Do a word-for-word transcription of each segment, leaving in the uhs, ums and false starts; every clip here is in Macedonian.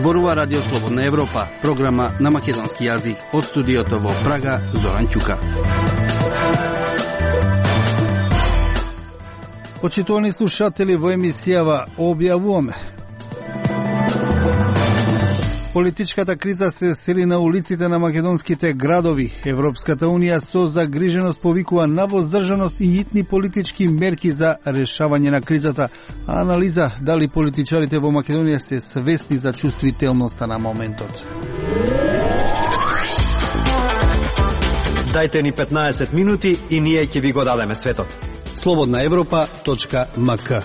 Зборува Радио Слободна Европа, програма на македонски јазик. Од студиото во Прага, Зоран Ќука. Почитувани слушатели, во емисијава објавуваме: политичката криза се сели на улиците на македонските градови. Европската унија со загриженост повикува на воздржаност и итни политички мерки за решавање на кризата. А анализа дали политичарите во Македонија се свесни за чувствителноста на моментот. Дајте ни петнаесет минути и ние ќе ви го дадеме светот. слободна европа точка ем ка.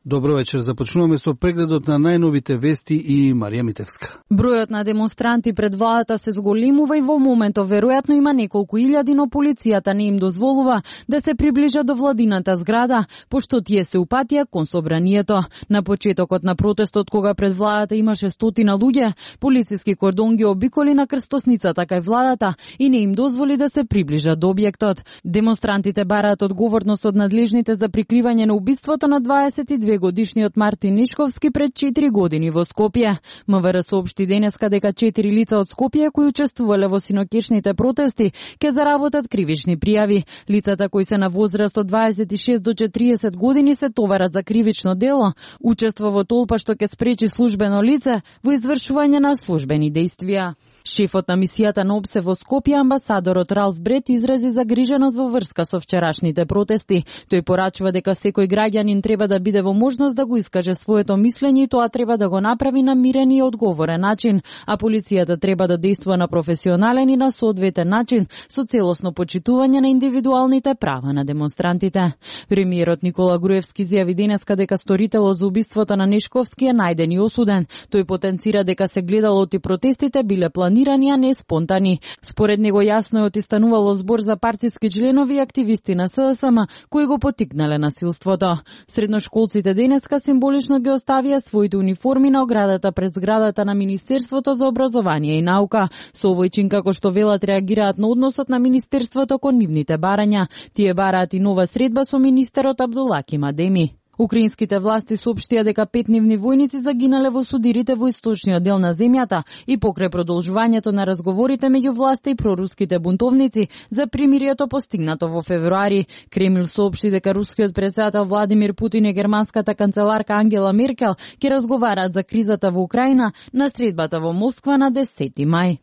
Добро вечер, започнуваме со прегледот на најновите вести и Марија Митевска. Бројот на демонстранти пред владата се зголемува и во моментов веројатно има неколку илјади, но полицијата не им дозволува да се приближат до владината зграда, пошто тие се упатија кон собранието. На почетокот на протестот, кога пред владата имаше стотина луѓе, полициски кордон ги обиколи на крстосницата кај владата и не им дозволи да се приближат до објектот. Демонстрантите бараат одговорност од надлежните за прикривање на убиството на дваесет и две годишниот Мартин Нешковски пред четири години во Скопје. МВР соопшти денеска дека четири лица од Скопје кои учествувале во синокешните протести ќе заработат кривични пријави. Лицата кои се на возраст од дваесет и шест до четириесет години се товарат за кривично дело, учество во толпа што ќе спречи службено лице во извршување на службени дејствија. Шефот на мисијата на ОБСЕ во Скопје, амбасадорот Ралф Брет, изрази загриженост во врска со вчерашните протести. Тој порачува дека секој граѓанин треба да биде во можност да го искаже своето мислење и тоа треба да го направи на мирен и одговорен начин, а полицијата треба да действува на професионален и на соодветен начин со целосно почитување на индивидуалните права на демонстрантите. Премиерот Никола Груевски изјави денеска дека сторителот за убиството на Нешковски е најден и осуден. Тој потенцира дека се гледало и протестите биле планирани, а не спонтани. Според него јасно е отистанувало збор за партиски членови и активисти на СДСМ кои го потикнале насилството. Средношколците денеска символично ги оставија своите униформи на оградата пред зградата на Министерството за образование и наука. Со овој како што велат реагираат на односот на Министерството кон нивните барања. Тие бараат и нова средба со министерот Абдулаки Мадеми. Украинските власти соопштија дека пет нивни војници загинале во судирите во источниот дел на земјата и покрај продолжувањето на разговорите меѓу власта и проруските бунтовници за примирието постигнато во февруари. Кремљ соопшти дека рускиот претседател Владимир Путин и германската канцеларка Ангела Меркел ќе разговараат за кризата во Украина на средбата во Москва на десети мај.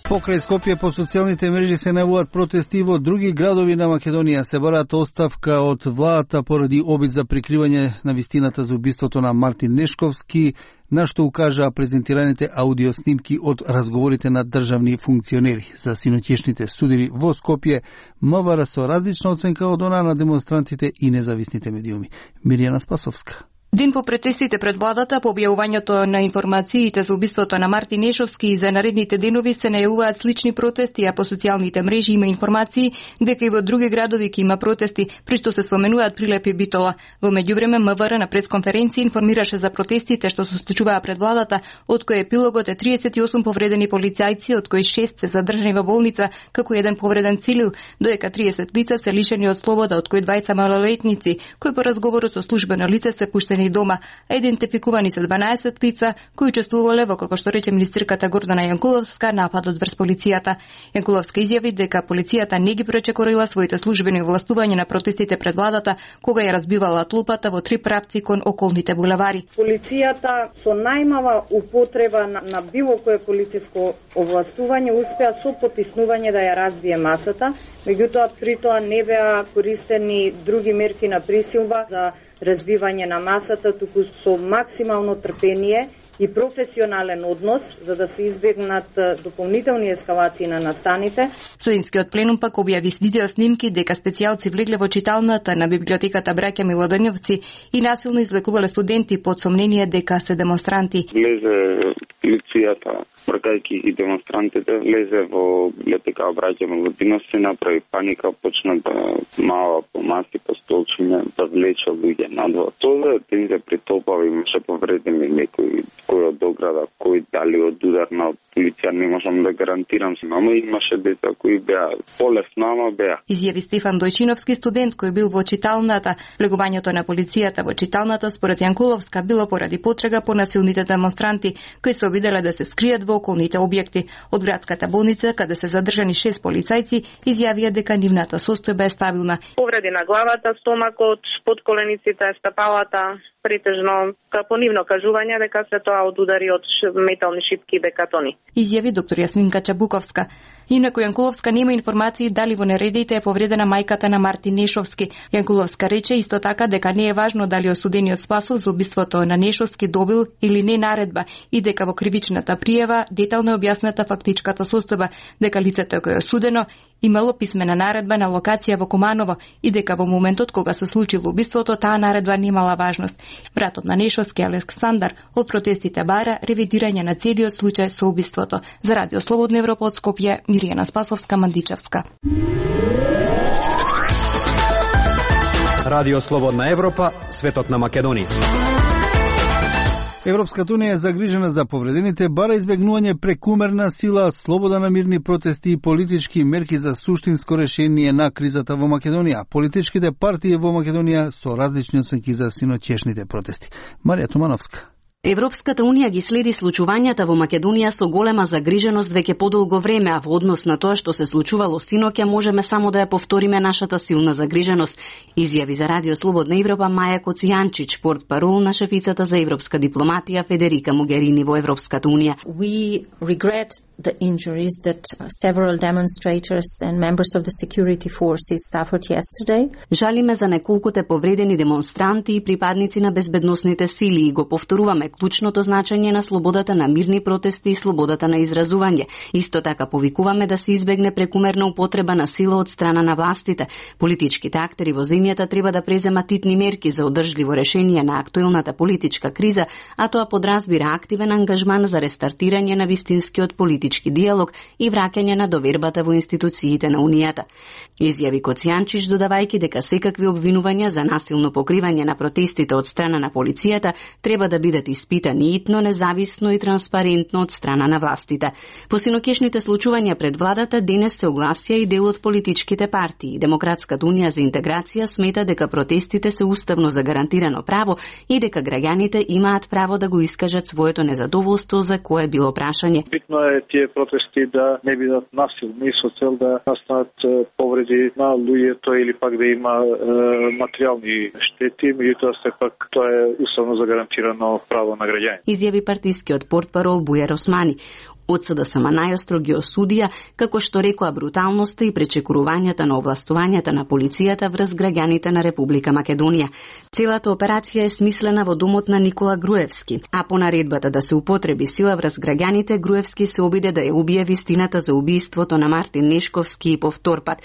Покрај Скопје по социјалните мрежи се најавуваат протести во други градови на Македонија. Се бараат оставка од владата поради обид за прикривање на вистината за убиството на Мартин Нешковски, на што укажаа презентираните аудиоснимки од разговорите на државни функционери. За синоќешните судири во Скопје, МВР со различна оценка од она на демонстрантите и независните медиуми. Миријана Спасовска. Ден по протестите пред владата, по објавувањето на информациите за убиството на Мартин Нешовски и за наредните денови се најавуваат слични протести, а по социјалните мрежи има информации дека и во други градови ќе има протести, при што се споменуваат Прилеп и Битола. Во меѓувреме МВР на пресконференција информираше за протестите што се случуваа пред владата, од кои епилогот е триесет и осум повредени полицајци, од кои шест се задржани во болница, како еден повреден цивил, додека триесет лица се лишени од слобода, од кои двајца малолетници, кои по разговорот со службено лице се пуштени дома, а идентификувани се дванаесет лица кои учествувале во, како што рече министерката Гордана Јанкуловска, нападот врз полицијата. Јанкуловска изјави дека полицијата не ги пречекорила своите службени овластувања на протестите пред владата, кога ја разбивала толпата во три правци кон околните булевари. Полицијата со најмала употреба на, на било кое полициско овластување успеа со потиснување да ја разбие масата, меѓутоа при тоа не беа користени други мерки на присилба за разбивање на масата, туку со максимално трпение и професионален однос, за да се избегнат дополнителни ескалации на настаните. Студентскиот пленум пак објави видео снимки дека специјалци влегле во читалната на библиотеката Браќа Милодонјовци и насилно извлекувале студенти под сомнение дека се демонстранти. Влезе полицијата бркајќи и демонстрантите, влезе во библиотека Браќа Милутинов, се направи паника, почна да мава по маси, по столчиња, да влече луѓе надвор. Тоа е тензија притопава, имаше повредени некои, кој од ограда, кој дали од ударна од полиција, не можам да гарантирам, ама имаше деца кои беа полесно, ама беа. Изјави Стефан Дојчиновски, студент кој бил во читалната. Влегувањето на полицијата во читалната според Јанкуловска било поради потрага по насилните демонстранти кои се обиделе да се скријат во околните објекти. Од градската болница, каде се задржани шест полицајци, изјавија дека нивната состојба е стабилна. Повреди на главата, стомакот, подколениците, стапалата, претежно по нивно кажување дека се тоа од удари од метални шипки и бекатони. Изјави доктор Јасминка Чабуковска. Инаку Јанкуловска нема информации дали во нередите е повредена мајката на Мартин Нешовски. Јанкуловска рече исто така дека не е важно дали осудениот Спасов за убиството на Нешовски добил или не наредба и дека во кривичната пријава детално е објасната фактичката состојба, дека лицето кој е осудено имало писмена наредба на локација во Куманово и дека во моментот кога се случило убиството таа наредба немала важност. Братот на Нешовски Александар од протестите бара ревидирање на целиот случај со убиството. За Радио Слободна Европа од Скопје, Миријана Спасовска Мандичевска. Радио Слободна Европа, светот на Македонија. Европската унија е загрижена за повредените, бара избегнување прекумерна сила, слобода на мирни протести и политички мерки за суштинско решение на кризата во Македонија. Политичките партии во Македонија со различни оценки за синоќешните протести. Марија Тумановска. Европската унија ги следи случувањата во Македонија со голема загриженост веќе подолго време, а во однос на тоа што се случувало синоќа можеме само да ја повториме нашата силна загриженост, изјави за Радио Слободна Европа Маја Коцијанчич, портпарол на шефицата за европска дипломатија Федерика Могерини во Европската унија. We regret the injuries that several demonstrators and members of the security forces suffered yesterday. Жалиме за неколкуте повредени демонстранти и припадници на безбедносните сили и го повторуваме клучното значење на слободата на мирни протести и слободата на изразување. Исто така повикуваме да се избегне прекумерна употреба на сила од страна на властите. Политичките актери во земјата треба да преземат итни мерки за одржливо решение на актуелната политичка криза, а тоа подразбира активен ангажман за рестартирање на вистинскиот политички диалог и враќање на довербата во институциите на Унијата. Изјави Коцијанчич додавајќи дека секакви обвинувања за насилно покривање на протестите од страна на полицијата треба да бидат испитани итно, независно и транспарентно од страна на властите. По синоќешните случувања пред владата денес се огласија и дел од политичките партии. Демократската унија за интеграција смета дека протестите се уставно загарантирано право и дека граѓаните имаат право да го искажат своето незадоволство за кое било прашање. Битно е тие протести да не бидат насилни со цел да настанат повреди на луѓето или пак да има е, материјални штети, меѓутоа сепак тоа е уставно загарантирано право на граѓани. Изјави партискиот портпарол Бујар Османи. Од СДСМ најостро ги осудија, како што рекоа бруталноста и пречекорувањата на овластувањата на полицијата врз граѓаните на Република Македонија. Целата операција е смислена во домот на Никола Груевски, а по наредбата да се употреби сила врз граѓаните, Груевски се обиде да ја убие вистината за убиството на Мартин Нешковски и повтор пат.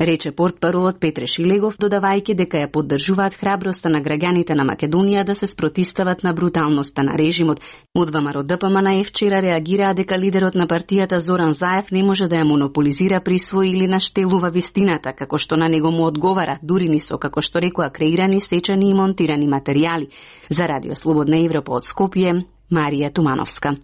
Рече портпаролот Петре Шилегов, додавајќи дека ја поддржуваат храброста на граѓаните на Македонија да се спротистават на бруталноста на режимот. Од ВМРО ДПМН вчера реагираа дека лидерот на партијата Зоран Заев не може да ја монополизира, присвои или наштелува вистината, како што на него му одговара, дури ни со, како што рекоа, креирани, сечани и монтирани материјали. За Радио Слободна Европа од Скопје, Марија Тумановска.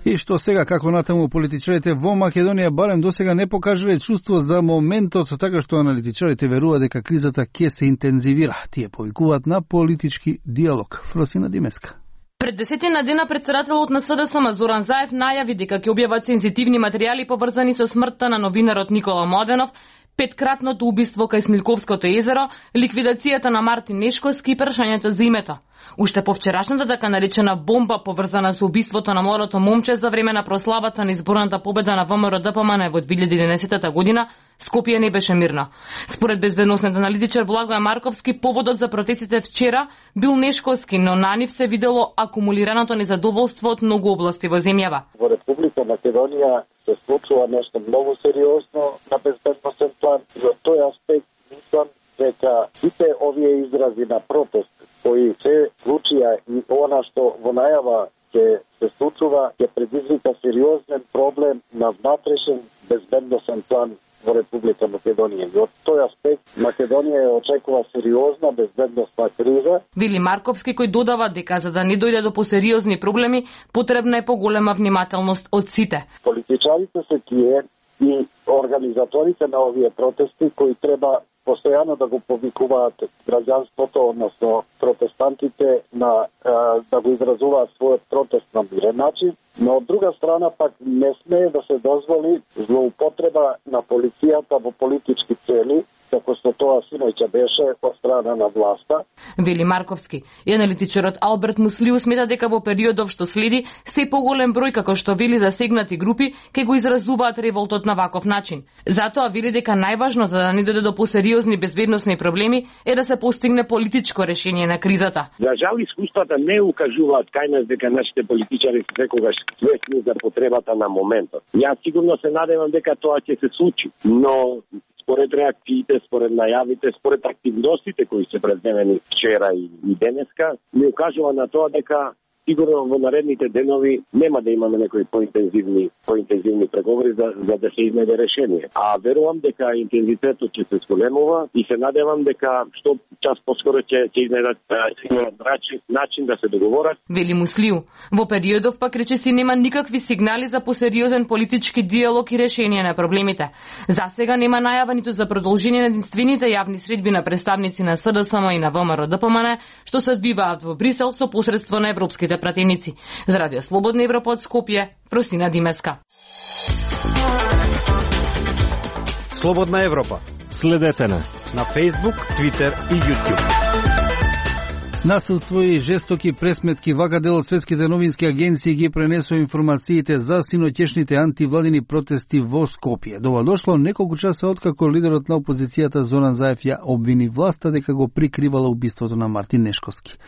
И што сега, како натаму политичарите во Македонија барем досега не покажале чувство за моментот, така што аналитичарите веруваат дека кризата ќе се интензивира. Тие повикуваат на политички диалог. Фросина Димеска. Пред десетина дена председателот на СДСМ Зоран Заев најави дека ќе објават сензитивни материјали поврзани со смртта на новинарот Никола Младенов, петкратното убиство кај Смилковското езеро, ликвидацијата на Мартин Нешковски и прашањето за името. Уште повчерашната така наречена бомба поврзана со убиството на младото момче за време на прославата на изборната победа на ВМРО ДПМН во две илјади и единаесета година, Скопје не беше мирно. Според безбедносниот аналитичар Благој Марковски, поводот за протестите вчера бил Нешковски, но на нив се видело акумулираното незадоволство од многу области во земјава. Во Република Македонија се случува нешто многу сериозно на безбедносен план и од тој аспект мислам дека сите овие изрази на протест кои се случија и она што во најава ќе се случува ќе предизвика сериозен проблем на внатрешен безбедносен план во Република Македонија. И од тој аспект Македонија очекува сериозна безбедносна криза. Вили Марковски, кој додава дека за да не дојде до посериозни проблеми, потребна е поголема внимателност од сите. Политичарите се тие и организаторите на овие протести кои треба постојано да го повикуваат граѓанството, односно протестантите на да го изразуваат својот протест на мирен начин, но од друга страна пак не смее да се дозволи злоупотреба на полицијата во политички цели, како што тоа синоќа беше од страна на власта. Вели Марковски. И аналитичарот Алберт Муслиу смета дека во периодов што следи, се поголем број, како што вели, засегнати групи ќе го изразуваат револтот на ваков начин. Затоа вели дека најважно за да не дојде до посериозни безбедносни проблеми е да се постигне политичко решение на кризата. За жал искуствата не укажуваат кај нас дека нашите политичари се секогаш свесни за потребата на моментот. Јас сигурно се надевам дека тоа ќе се случи, но според реакциите, според најавите, според активностите кои се предневени вчера и, и денеска, ми укажува на тоа дека сигурно во наредните денови нема да имаме некои поинтензивни поинтензивни преговори за, за да се изнајде решение. А верувам дека интензитетот ќе се зголемува и се надевам дека што час поскоро ќе ќе изнајдат начин, начин да се договорат. Вели Муслиу. Во периодов пак речиси нема никакви сигнали за посериозен политички диалог и решение на проблемите. За сега нема најава ниту за продолжение на единствените јавни средби на представници на СДСМ и на ВМРО ДПМН, што се одвиваат во Брисел со посредство на европските пратеници. За Радио Слободна Европа од Скопје, Фросина Димеска. Слободна Европа. Следете на на Facebook, Twitter и YouTube. Насилство и жестоки пресметки вака дел од светските новински агенции ги пренесува информациите за синоќешните антивладини протести во Скопје. До ова дошло неколку часа откако лидерот на опозицијата Зоран Заев ја обвини власта дека го прикривала убиството на Мартин Нешковски.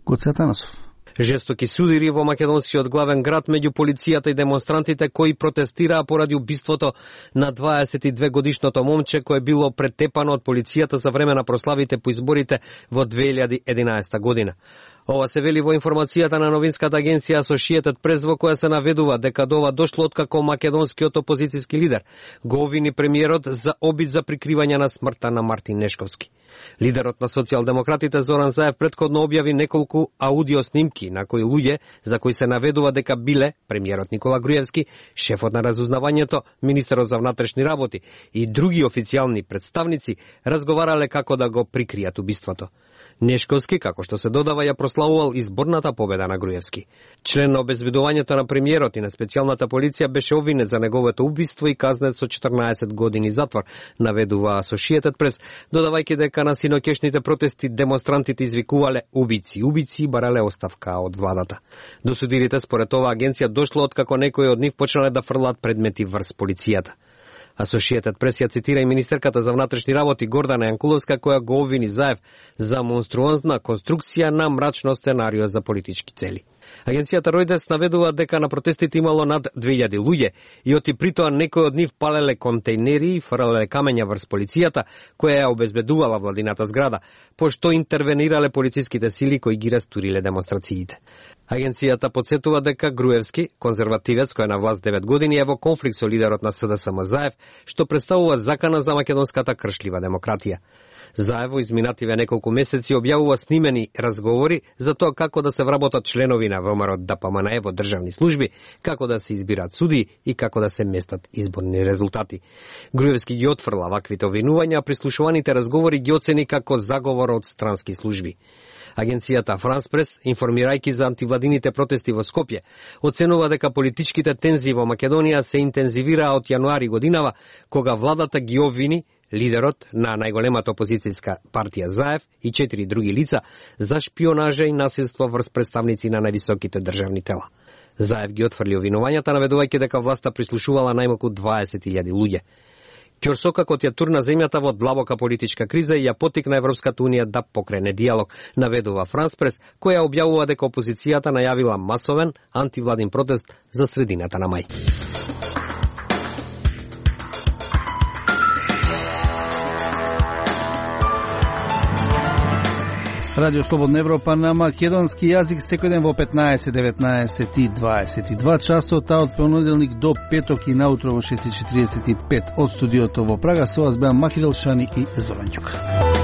Гоце Атанасов. Жестоки судири во македонскиот главен град меѓу полицијата и демонстрантите кои протестираа поради убиството на дваесет и две годишното момче кое било претепано од полицијата за време на прославите по изборите во две илјади и единаесета година. Ова се вели во информацијата на новинската агенција Associated Press, во која се наведува дека до ова дошло откако македонскиот опозицијски лидер го обвини премиерот за обид за прикривање на смртта на Мартин Нешковски. Лидерот на социјалдемократите Зоран Заев претходно објави неколку аудио снимки на кои луѓе за кои се наведува дека биле премиерот Никола Груевски, шефот на разузнавањето, министерот за внатрешни работи и други официјални представници разговарале како да го прикријат убиството. Нешковски, како што се додава, ја прославувал изборната победа на Груевски. Член на обезбедувањето на премиерот и на специјалната полиција беше обвинет за неговото убиство и казнет со четрнаесет години затвор, наведува Associated Press, додавајќи дека на синоќешните протести демонстрантите извикувале убици, убици и барале оставка од владата. До судирите според ова агенција дошло откако некои од нив почнале да фрлат предмети врз полицијата. Associated Press ја цитира и министерката за внатрешни работи Гордана Јанкуловска, која го обвини Заев за монструозна конструкција на мрачно сценарио за политички цели. Агенцијата Ројдес наведува дека на протестите имало над две илјади луѓе и оти притоа некои од нив палеле контейнери и фрлеле камења врз полицијата, која ја обезбедувала владината зграда, пошто интервенирале полициските сили кои ги растуриле демонстрациите. Агенцијата подсетува дека Груевски, конзервативец кој е на власт девет години, е во конфликт со лидерот на СДСМ Заев, што представува закана за македонската кршлива демократија. Заев во изминативе неколку месеци објавува снимени разговори за тоа како да се вработат членови на ВМРО ДПМН во државни служби, како да се избираат суди и како да се местат изборни резултати. Груевски ги отфрла ваквите обвинувања, а прислушуваните разговори ги оцени како заговор од странски служби. Агенцијата Франс Прес, информирајќи за антивладините протести во Скопје, оценува дека политичките тензии во Македонија се интензивираа од јануари годинава, кога владата ги обвини лидерот на најголемата опозицијска партија Заев и четири други лица за шпионажа и насилство врз представници на највисоките државни тела. Заев ги отфрли обвинувањата, наведувајќи дека власта прислушувала најмалку дваесет илјади луѓе. Ќорсокакот ја турна земјата во длабока политичка криза и ја потикна Европската унија да покрене диалог, наведува Франс Прес, која објавува дека опозицијата најавила масовен антивладин протест за средината на мај. Радио Слободна Европа на македонски јазик секој ден во петнаесет, деветнаесет и дваесет и два часот, а од понеделник до петок и наутро во шест и четиридесет и пет од студиото во Прага. Со вас беа Махи Делшани и Зоран Ѓука.